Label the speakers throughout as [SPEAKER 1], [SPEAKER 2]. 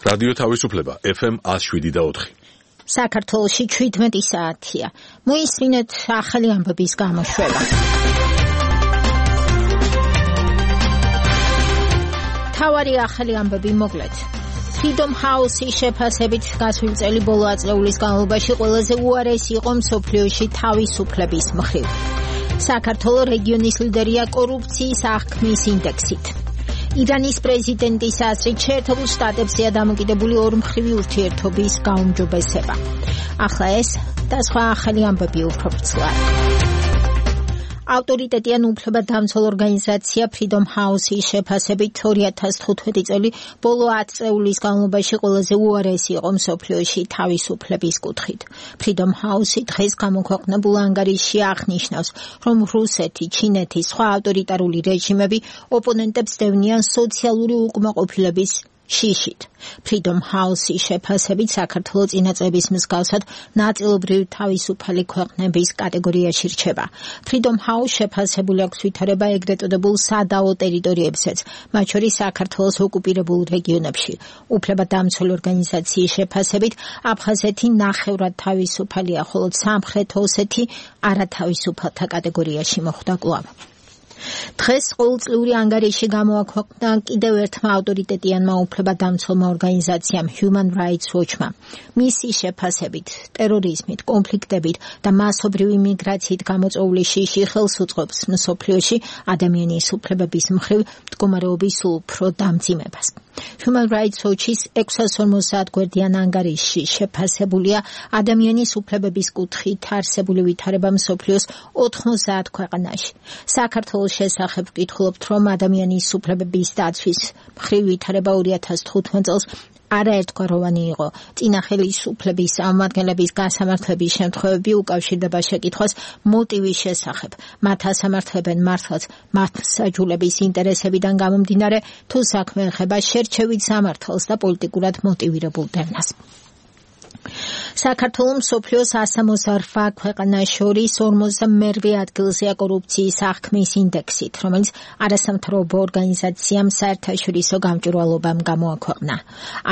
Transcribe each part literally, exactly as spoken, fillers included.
[SPEAKER 1] რადიო თავისუფლება ეფ ემ one oh seven და four.
[SPEAKER 2] საქართველოში seventeen საათია. მოისმინეთ ახალი ამბების გამოშვება. თავარი ახალი ამბები მოკლედ. Freedom House-ის შეფასებით გასული წელი ბოლო ათწლეულის განმავლობაში ყველაზე უარესი იყო მსოფლიოში თავისუფლების მხრივ. საქართველოს რეგიონის ლიდერია კორუფციის აღქმის ინდექსით. ირანის პრეზიდენტის აზრით შეერთებულ შტატებზეა დამოკიდებული ორმხრივი ურთიერთობის გაუმჯობესება. ახლა ეს და სხვა ახალი ამბები უფრო ვრცლად. ავტორიტეტიან უფლებადამცველ ორგანიზაცია Freedom House-ის შეფასებით two thousand fifteen წელი ბოლო ათი წლეულის განმავლობაში ყველაზე უარესი იყო მსოფლიოში თავისუფლების კუთხით. Freedom House-ი დღეს გამოქვეყნებულ ანგარიშში აღნიშნავს, რომ რუსეთი, ჩინეთი, სხვა ავტორიტარული რეჟიმები ოპონენტებს დევნიან სოციალური უკმაყოფილების შიშით. Freedom House-ის შეფასებით საქართველოს წინა წლების მსგავსად ნაწილობრივ თავისუფალი ქვეყნების კატეგორიაში რჩება. Freedom House შეფასებული აქვს ვითარება ეგრეთ წოდებულ სადაო ტერიტორიებსაც, მათ შორის საქართველოს ოკუპირებულ რეგიონებში. უფლებადამცველი ორგანიზაციის შეფასებით აფხაზეთი ნახევრად თავისუფალია, ხოლო სამხრეთ ოსეთი არათავისუფალთა კატეგორიაში მოხვდა კვლავ. დღეს ყოველწლიური ანგარიში გამოაქვეყნა კიდევ ერთმა ავტორიტეტიანმა უფლებადამცველმა ორგანიზაციამ Human Rights Watch-მა. მისი შეფასებით, ტერორიზმით, კონფლიქტებით და მასობრივი მიგრაციით გამოწვეული შიში ხელს უწყობს მსოფლიოში ადამიანის უფლებების მხრივ მდგომარეობის უფრო დამძიმებას. Human Rights Watch-ის six hundred forty გვერდიან ანგარიშში შეფასებულია ადამიანის უფლებების კუთხით არსებული ვითარება მსოფლიოს ninety ქვეყანაში. საქართველოს შესახებ ვკითხულობთ, რომ ადამიანის უფლებების დაცვის მხრივ ვითარება two thousand fifteen წელს არაერთგვაროვანი იყო. წინა ხელისუფლების წარმომადგენლების გასამართლების შემთხვევები უკავშირდება შეკითხვას მოტივის შესახებ. მათ ასამართლებენ მართლაც მასაჯულების ინტერესებიდან გამომდინარე, თუ საქმე ეხება შერჩევით სამართალს და პოლიტიკურად მოტივირებულ დევნას. საქართველოს მსოფლიოს one hundred forty-eight ქვეყანას შორის forty-two ადგილზეა კორუფციის აღქმის ინდექსით, რომელიც არასამთავრობო ორგანიზაციამ საერთაშორისო გამჭვირვალობამ გამოაქვეყნა.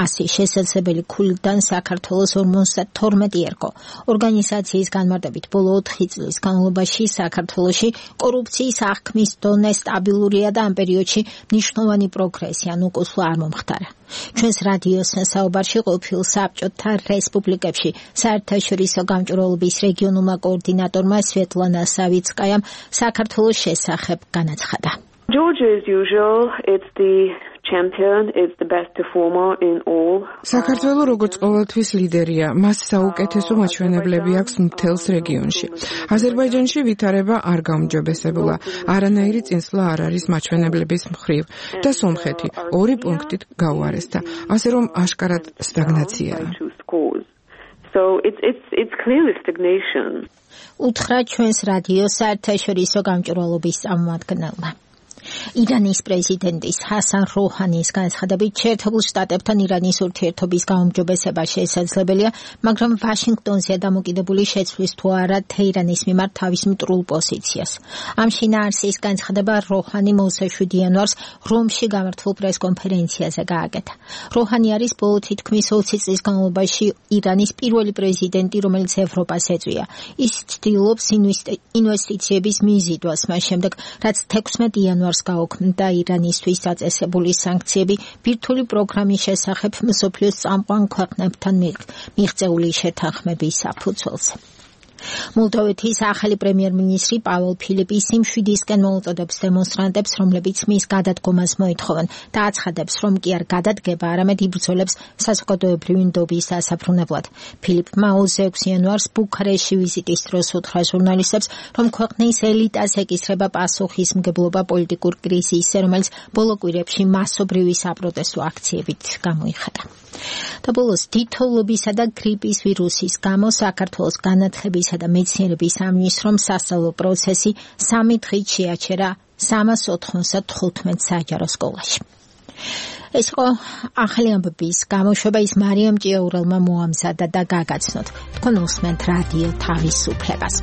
[SPEAKER 2] ასი შესაძლებელი ქულიდან საქართველოს forty-two ერგო. ორგანიზაციის განმარტებით ბოლო ოთხი წლის განმავლობაში საქართველოში კორუფციის აღქმის დონე სტაბილურია და ამ პერიოდში მნიშვნელოვანი პროგრესი ან უკუსლა არ მომხდარა. ჩვენს რადიოს საუბარში ყოფილ საბჭოთა რესპუბლიკებში საერთაშორისო გამჭვირვალობის რეგიონულმა კოორდინატორმა სვეტლანა სავიცკაიამ საქართველოს შესახებ განაცხადა.
[SPEAKER 3] Georgia, as usual, it's the champion, it's the best performer in all.
[SPEAKER 4] საქართველოს როგორც ყოველთვის ლიდერია, მას საუკეთესო მაჩვენებლები აქვს მთელს რეგიონში. აზერბაიჯანში ვითარება არ გაუმჯობესებულა, არანაირი წინსვლა არ არის მაჩვენებლების მხრივ და სომხეთი ორი პუნქტით გაუარესდა, ასე რომ აშკარად სტაგნაციაა.
[SPEAKER 3] So it's it's it's clearly stagnation.
[SPEAKER 2] უთხრა ჩვენს რადიოს საერთაშორისო გამჭვირვალობის წარმომადგენელმა. ირანის პრეზიდენტის ჰასან როჰანის განცხადებით შეერთებულ შტატებთან ირანის ურთიერთობის გაუმჯობესება შესაძლებელია, მაგრამ ვაშინგტონზეა დამოკიდებული შეცვლის თუ არა თეირანის მიმართ თავის მტრულ პოზიციას. ამ შინაარსის განცხადება როჰანი seventh იანვარს რომში გამართულ პრესკონფერენციაზე გააკეთა. როჰანი არის ბოლო თითქმის ოცი წლის განმავლობაში ირანის პირველი პრეზიდენტი, რომელიც ევროპას ეწვია. ის ცდილობს ინვესტიციების მიზიდვას მას შემდეგ, რაც sixteenth იანვარს გაუქმდა ირანისთვის დაწესებული სანქციები ბირთვული პროგრამის შესახებ მსოფლიოს წამყვან ქვეყნებთან მიღწეული შეთანხმების საფუძველზე. მოლდოვეთის ახალი პრემიერ-მინისტრი პაველო ფილიპისი მშვიდისკენ მოუწოდებს დემონსტრანტებს, რომლებიც მის გადადგომას მოითხოვენ და აცხადებს, რომ კი არ გადადგება, არამედ იბრძოლებს საზოგადოებრივი ნდობის დასაბრუნებლად. ფილიპმა twenty-six იანვარს ბუქარესტში ვიზიტის დროს უთხრა ჟურნალისტებს, რომ ქვეყნის ელიტას ეკისრება პასუხისმგებლობა პოლიტიკურ კრიზისზე, რომელიც ბოლო კვირებში მასობრივი საპროტესტო აქციებით გამოიხატა. და ბოლოს თითოეულობისა და გრიპის ვირუსის გამო საქართველოს განათლებისა და მეცნიერების სამინისტრომ სასწავლო პროცესი სამი დღით შეაჩერა three hundred ninety-five საჯარო სკოლაში. ეს იყო ახალი ამბების გამოშვება, ის მარიამ ჭიაურელმა მოამზადა და გაგაცნოთ. თქვენ უსმენთ რადიო თავისუფლებას.